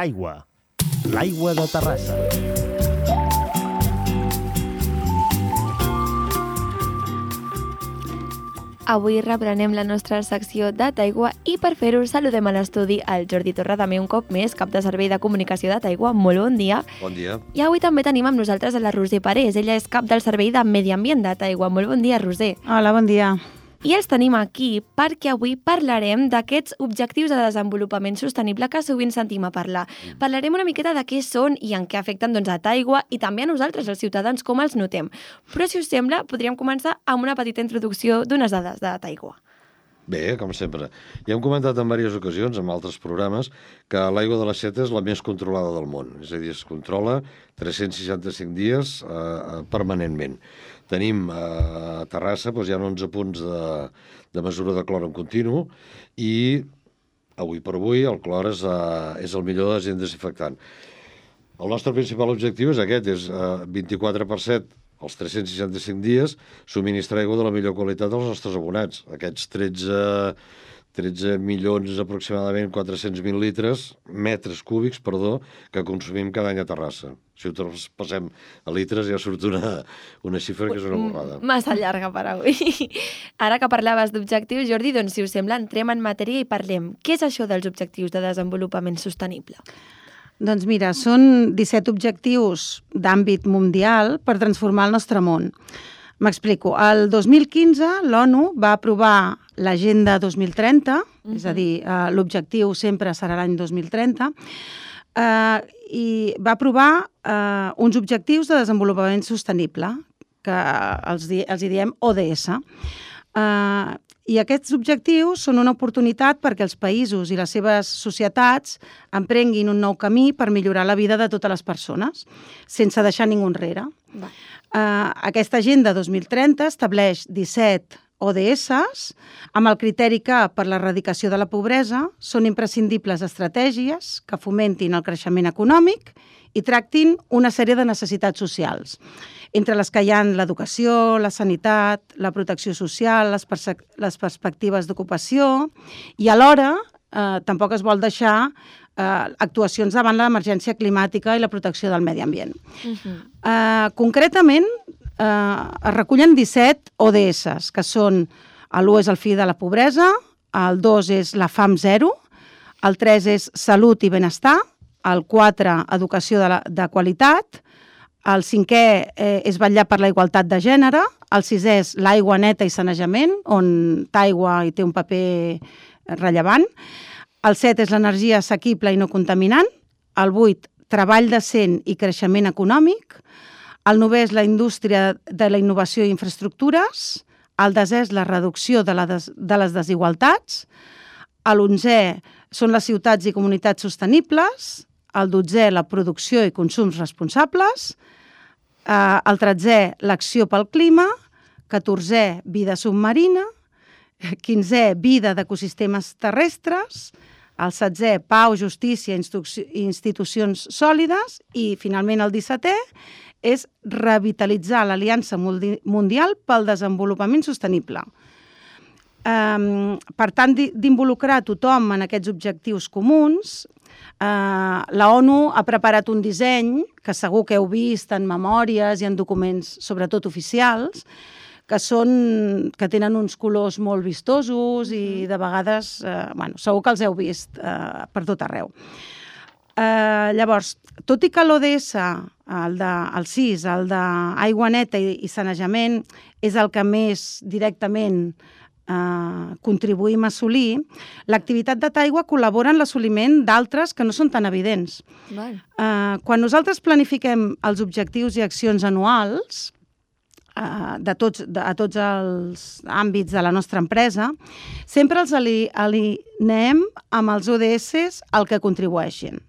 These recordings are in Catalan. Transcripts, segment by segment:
Daigua, l'aigua de Terrassa. Avui reprenem la nostra secció de Taigua i per fer-ho saludem a l'estudi el Jordi Torra, també un cop més, cap de servei de comunicació de Taigua. Molt bon dia. Bon dia. I avui també tenim amb nosaltres a la Roser Parés. Ella és cap del servei de Medi Ambient de Taigua. Molt bon dia, Roser. Hola, bon dia. I els tenim aquí perquè avui parlarem d'aquests objectius de desenvolupament sostenible que sovint sentim a parlar. Parlarem una miqueta de què són i en què afecten a Taigua i també a nosaltres, els ciutadans, com els notem. Però, si us sembla, podríem començar amb una petita introducció d'unes dades de Taigua. Bé, com sempre. Ja hem comentat en diverses ocasions, en altres programes, que l'aigua de la Seta és la més controlada del món. És a dir, es controla 365 dies permanentment. Tenim a Terrassa, hi ha 11 punts de mesura de clor en continu i avui per avui el clor és el millor agent desinfectant. El nostre principal objectiu és aquest, és 24/7 els 365 dies subministrar aigua de la millor qualitat als nostres abonats. Aquests 13 milions aproximadament 400.000 metres cúbics, que consumim cada any a Terrassa. Si ho passem a litres ja surt una xifra que és una borrada. Massa llarga per avui. Ara que parlaves d'objectius, Jordi, doncs si us sembla entrem en matèria i parlem. Què és això dels objectius de desenvolupament sostenible? Doncs mira, són 17 objectius d'àmbit mundial per transformar el nostre món. M'explico. El 2015 l'ONU va aprovar l'Agenda 2030, és a dir, l'objectiu sempre serà l'any 2030, i va aprovar uns objectius de desenvolupament sostenible, que els diem ODS. I aquests objectius són una oportunitat perquè els països i les seves societats emprenguin un nou camí per millorar la vida de totes les persones, sense deixar ningú enrere. Aquesta Agenda 2030 estableix 17 ODS amb el criteri que, per l'erradicació de la pobresa, són imprescindibles estratègies que fomentin el creixement econòmic i tractin una sèrie de necessitats socials, entre les que hi ha l'educació, la sanitat, la protecció social, les perspectives d'ocupació i alhora tampoc es vol deixar actuacions davant l'emergència climàtica i la protecció del medi ambient. Concretament, es recullen 17 ODS, que són l'1 és el fi de la pobresa, el 2 és la fam zero, el 3 és salut i benestar, el 4, educació de qualitat, el 5è és vetllar per la igualtat de gènere, el 6è és l'aigua neta i sanejament, on Taigua hi té un paper rellevant, el 7 és l'energia assequible i no contaminant, el 8, treball decent i creixement econòmic, el 9è és la indústria de la innovació i infraestructures, el 10è és la reducció de les desigualtats, l'11è són les ciutats i comunitats sostenibles, el 12è la producció i consums responsables, el 13è l'acció pel clima, 14è vida submarina, 15è vida d'ecosistemes terrestres, el 16è pau, justícia i institucions sòlides i finalment el 17è és revitalitzar l'Aliança Mundial pel Desenvolupament Sostenible. Per tant, d'involucrar tothom en aquests objectius comuns, la ONU ha preparat un disseny que segur que heu vist en memòries i en documents, sobretot oficials, que tenen uns colors molt vistosos i de vegades, segur que els heu vist per tot arreu. Llavors, tot i que l'ODS, el 6, el d'aigua neta i sanejament, és el que més directament contribuïm a assolir, l'activitat de Taigua col·labora en l'assoliment d'altres que no són tan evidents. Quan nosaltres planifiquem els objectius i accions anuals a tots els àmbits de la nostra empresa, sempre els alineem amb els ODS al que contribueixin.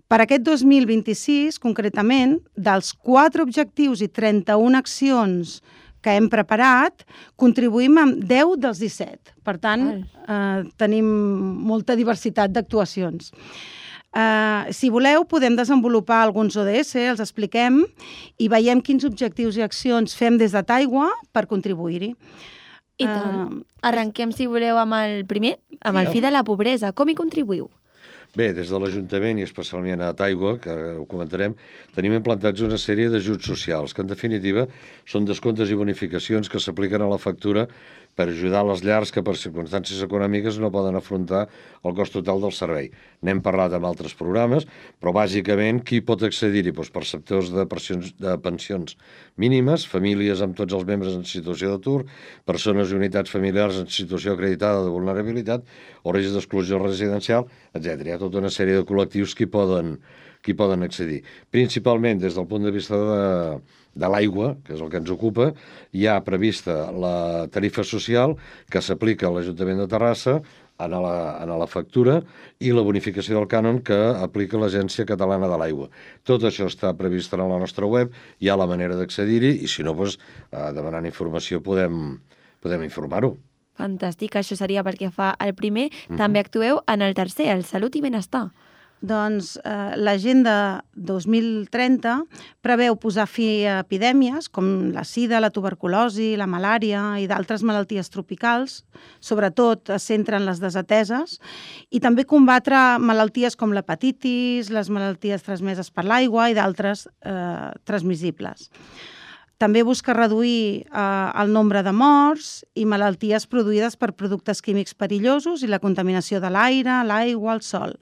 Per aquest 2026, concretament, dels 4 objectius i 31 accions que hem preparat, contribuïm amb 10 dels 17. Per tant, tenim molta diversitat d'actuacions. Si voleu, podem desenvolupar alguns ODS, els expliquem i veiem quins objectius i accions fem des de Taigua per contribuir-hi. I tant. Arrenquem, si voleu, amb el primer, amb el fi de la pobresa. Com hi contribuïu? Bé, des de l'Ajuntament i especialment a Taigua, que ho comentarem, tenim implantats una sèrie d'ajuts socials, que en definitiva són descomptes i bonificacions que s'apliquen a la factura per ajudar les llars que per circumstàncies econòmiques no poden afrontar el cost total del servei. N'hem parlat amb altres programes, però bàsicament qui pot accedir-hi? Doncs perceptors de pensions mínimes, famílies amb tots els membres en situació d'atur, persones i unitats familiars en situació acreditada de vulnerabilitat o risc d'exclusió residencial, etc. Hi ha tota una sèrie de col·lectius que hi poden accedir. Principalment des del punt de vista de l'aigua, que és el que ens ocupa, hi ha prevista la tarifa social que s'aplica a l'Ajuntament de Terrassa en la factura i la bonificació del cànon que aplica l'Agència Catalana de l'Aigua. Tot això està previst en la nostra web, hi ha la manera d'accedir-hi i si no, demanant informació podem informar-ho. Fantàstic, això seria pel que fa al primer. També actueu en el tercer, el Salut i Benestar. Doncs l'Agenda 2030 preveu posar fi a epidèmies com la sida, la tuberculosi, la malària i d'altres malalties tropicals, sobretot es centren les desateses, i també combatre malalties com l'hepatitis, les malalties transmeses per l'aigua i d'altres transmissibles. També busca reduir el nombre de morts i malalties produïdes per productes químics perillosos i la contaminació de l'aire, l'aigua, el sol.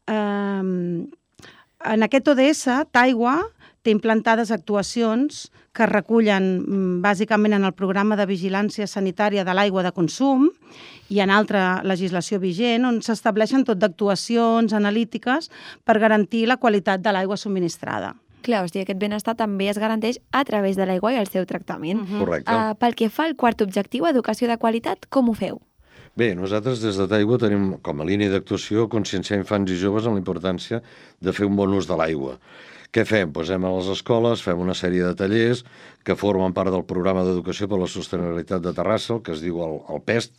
En aquest ODS, Taigua té implantades actuacions que es recullen bàsicament en el programa de vigilància sanitària de l'aigua de consum i en altra legislació vigent, on s'estableixen tot d'actuacions analítiques per garantir la qualitat de l'aigua subministrada. Clar, o sigui, aquest benestar també es garanteix a través de l'aigua i el seu tractament. Correcte. Pel que fa al quart objectiu, educació de qualitat, com ho feu? Bé, nosaltres des de Taigua tenim com a línia d'actuació conscienciar infants i joves en la importància de fer un bon ús de l'aigua. Què fem? Anem a les escoles, fem una sèrie de tallers que formen part del programa d'educació per la sostenibilitat de Terrassa, el que es diu el PEST,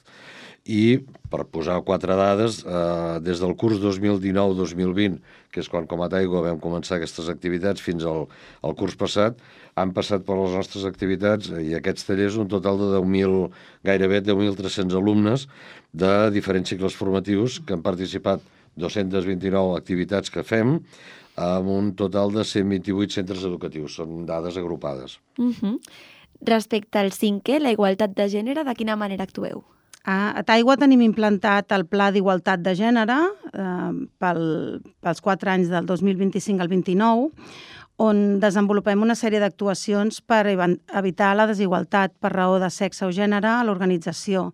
i, per posar 4 dades, des del curs 2019-2020, que és quan com a Taigua vam començar aquestes activitats, fins al curs passat, han passat per les nostres activitats i aquests tallers un total de gairebé 10.300 alumnes de diferents cicles formatius que han participat 229 activitats que fem amb un total de 128 centres educatius. Són dades agrupades. Respecte al cinquè, la igualtat de gènere, de quina manera actueu? A Taigua tenim implantat el Pla d'Igualtat de Gènere pels 4 anys del 2025 al 29, on desenvolupem una sèrie d'actuacions per evitar la desigualtat per raó de sexe o gènere a l'organització.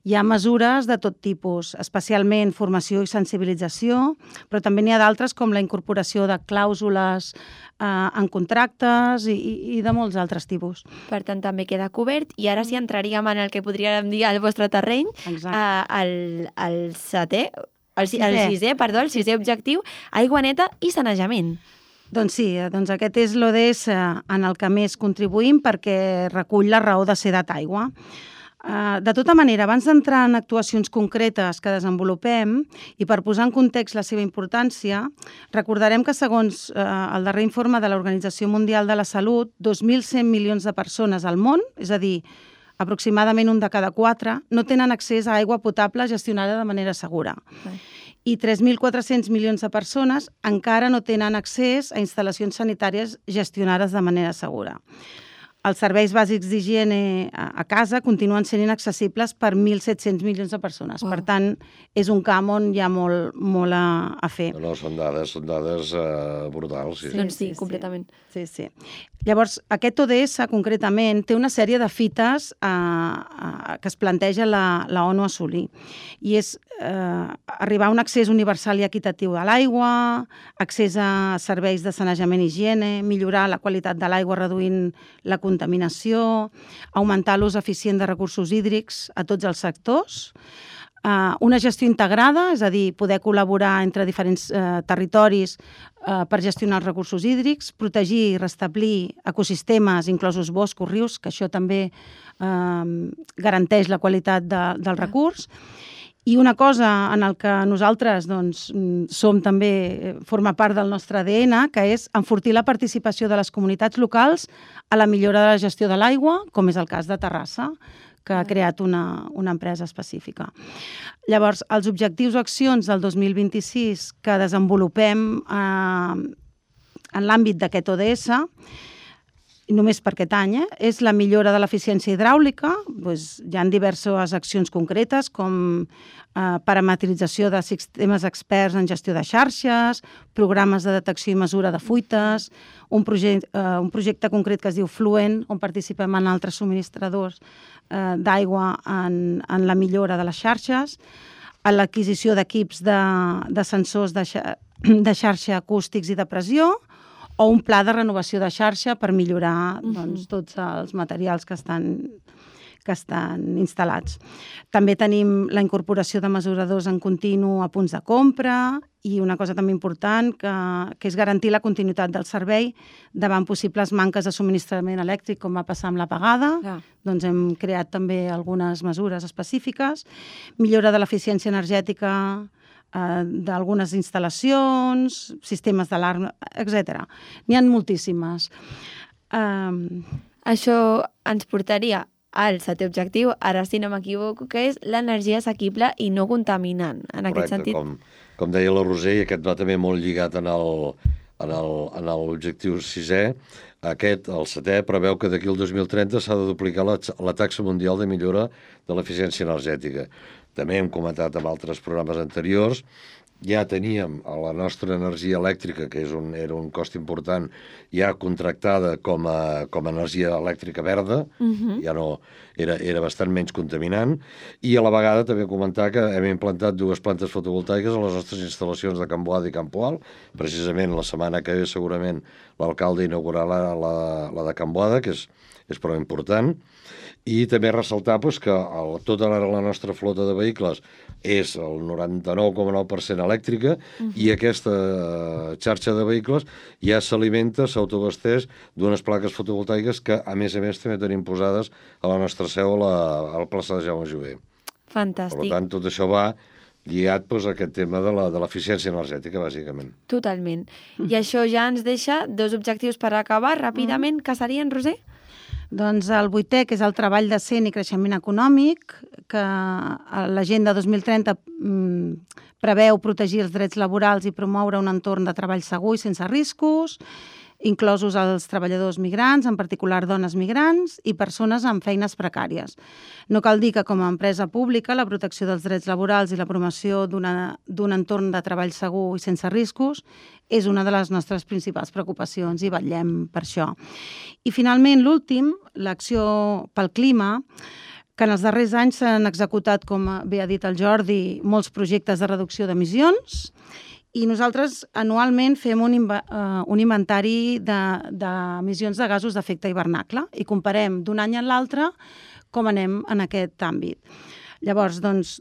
Hi ha mesures de tot tipus, especialment formació i sensibilització, però també n'hi ha d'altres com la incorporació de clàusules en contractes i de molts altres tipus. Per tant, també queda cobert. I ara sí entraríem en el que podríem dir el vostre terreny, el sisè objectiu, aigua neta i sanejament. Doncs sí, aquest és l'ODS en el que més contribuïm perquè recull la raó de ser de Taigua. De tota manera, abans d'entrar en actuacions concretes que desenvolupem i per posar en context la seva importància, recordarem que segons el darrer informe de l'Organització Mundial de la Salut, 2.100 milions de persones al món, és a dir, aproximadament 1 de cada 4, no tenen accés a aigua potable gestionada de manera segura. I 3.400 milions de persones encara no tenen accés a instal·lacions sanitàries gestionades de manera segura. Els serveis bàsics d'higiene a casa continuen sent inaccessibles per 1.700 milions de persones. Per tant, és un camp on hi ha molt a fer. No, són dades brutals. Doncs sí, completament. Sí. Llavors, aquest ODS, concretament, té una sèrie de fites que es planteja la ONU assolir. I és arribar a un accés universal i equitatiu a l'aigua, accés a serveis de sanejament i higiene, millorar la qualitat de l'aigua reduint la contaminació, augmentar l'ús eficient de recursos hídrics a tots els sectors, una gestió integrada, és a dir, poder col·laborar entre diferents territoris per gestionar els recursos hídrics, protegir i restablir ecosistemes, inclosos boscos, rius, que això també garanteix la qualitat del recurs. I una cosa en el que nosaltres som també, forma part del nostre ADN, que és enfortir la participació de les comunitats locals a la millora de la gestió de l'aigua, com és el cas de Terrassa, que ha creat una empresa específica. Llavors, els objectius o accions del 2026 que desenvolupem en l'àmbit d'aquest ODS, només per aquest any, és la millora de l'eficiència hidràulica. Hi ha diverses accions concretes, com parametrització de sistemes experts en gestió de xarxes, programes de detecció i mesura de fuites, un projecte concret que es diu Fluent, on participem en altres subministradors d'aigua en la millora de les xarxes, a l'adquisició d'equips de sensors de xarxa acústics i de pressió, o un pla de renovació de xarxa per millorar tots els materials que estan instal·lats. També tenim la incorporació de mesuradors en continu a punts de compra i una cosa també important que és garantir la continuïtat del servei davant possibles manques de subministrament elèctric, com va passar amb l'apagada. Doncs hem creat també algunes mesures específiques. Millora de l'eficiència energètica d'algunes instal·lacions, sistemes d'alarma, etc. N'hi ha moltíssimes. Això ens portaria al setè objectiu, ara si no m'equivoco, que és l'energia assequible i no contaminant. En aquest sentit... Com deia la Roser, i aquest va també molt lligat en l'objectiu 6è, el 7è, preveu que d'aquí al 2030 s'ha de duplicar la taxa mundial de millora de l'eficiència energètica. També hem comentat en altres programes anteriors, ja teníem la nostra energia elèctrica, que era un cost important, ja contractada com a energia elèctrica verda, ja no era bastant menys contaminant, i a la vegada també comentar que hem implantat 2 plantes fotovoltaiques a les nostres instal·lacions de Can Boada i Can Poal. Precisament la setmana que ve segurament l'alcalde inaugurarà la de Can Boada, que és prou important. I també ressaltar que tota la nostra flota de vehicles és el 99,9% elèctrica i aquesta xarxa de vehicles ja s'alimenta, s'autobasteix d'unes plaques fotovoltaiques que, a més, també tenim posades a la nostra seu a la plaça de Jaume Jover. Fantàstic. Per tant, tot això va lligat a aquest tema de l'eficiència energètica, bàsicament. Totalment. I això ja ens deixa 2 objectius per acabar ràpidament, que serien, Roser? Doncs el 8è, que és el treball decent i creixement econòmic, que l'Agenda 2030 preveu protegir els drets laborals i promoure un entorn de treball segur i sense riscos, inclosos els treballadors migrants, en particular dones migrants i persones amb feines precàries. No cal dir que com a empresa pública la protecció dels drets laborals i la promoció d'un entorn de treball segur i sense riscos és una de les nostres principals preocupacions i vetllem per això. I finalment, l'últim, l'acció pel clima, que en els darrers anys s'han executat, com bé ha dit el Jordi, molts projectes de reducció d'emissions, i nosaltres anualment fem un inventari d'emissions de gasos d'efecte hivernacle i comparem d'un any a l'altre com anem en aquest àmbit. Llavors, doncs,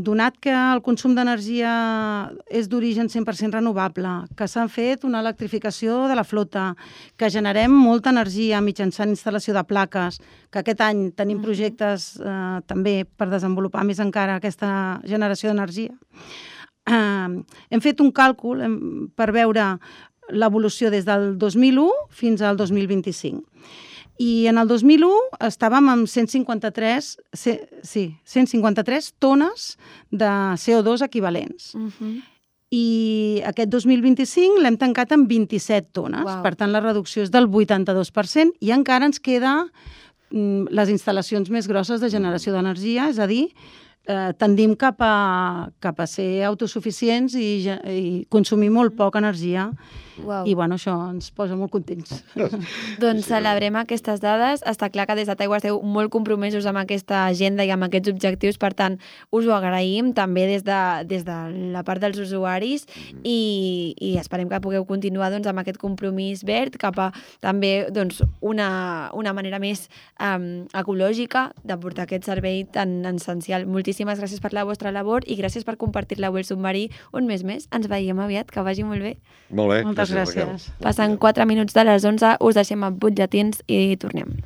donat que el consum d'energia és d'origen 100% renovable, que s'ha fet una electrificació de la flota, que generem molta energia mitjançant instal·lació de plaques, que aquest any tenim projectes també per desenvolupar més encara aquesta generació d'energia, hem fet un càlcul per veure l'evolució des del 2001 fins al 2025. I en el 2001 estàvem amb 153 tones de CO2 equivalents. I aquest 2025 l'hem tancat amb 27 tones. Per tant, la reducció és del 82% i encara ens queda les instal·lacions més grosses de generació d'energia, és a dir, tendim cap a ser autosuficients i consumir molt poca energia. I això ens posa molt contents. Doncs celebrem aquestes dades. Està clar que des de Taigua esteu molt compromesos amb aquesta agenda i amb aquests objectius, per tant, us ho agraïm també des de la part dels usuaris i esperem que pugueu continuar amb aquest compromís verd cap a també una manera més ecològica de portar aquest servei tan essencial. Moltíssimes gràcies per la vostra labor i gràcies per compartir-la avui al Submarí un mes més. Ens veiem aviat, que vagi molt bé. Molt bé. Moltes gràcies. Passen 4 minuts de les 11, us deixem amb butlletins i tornem.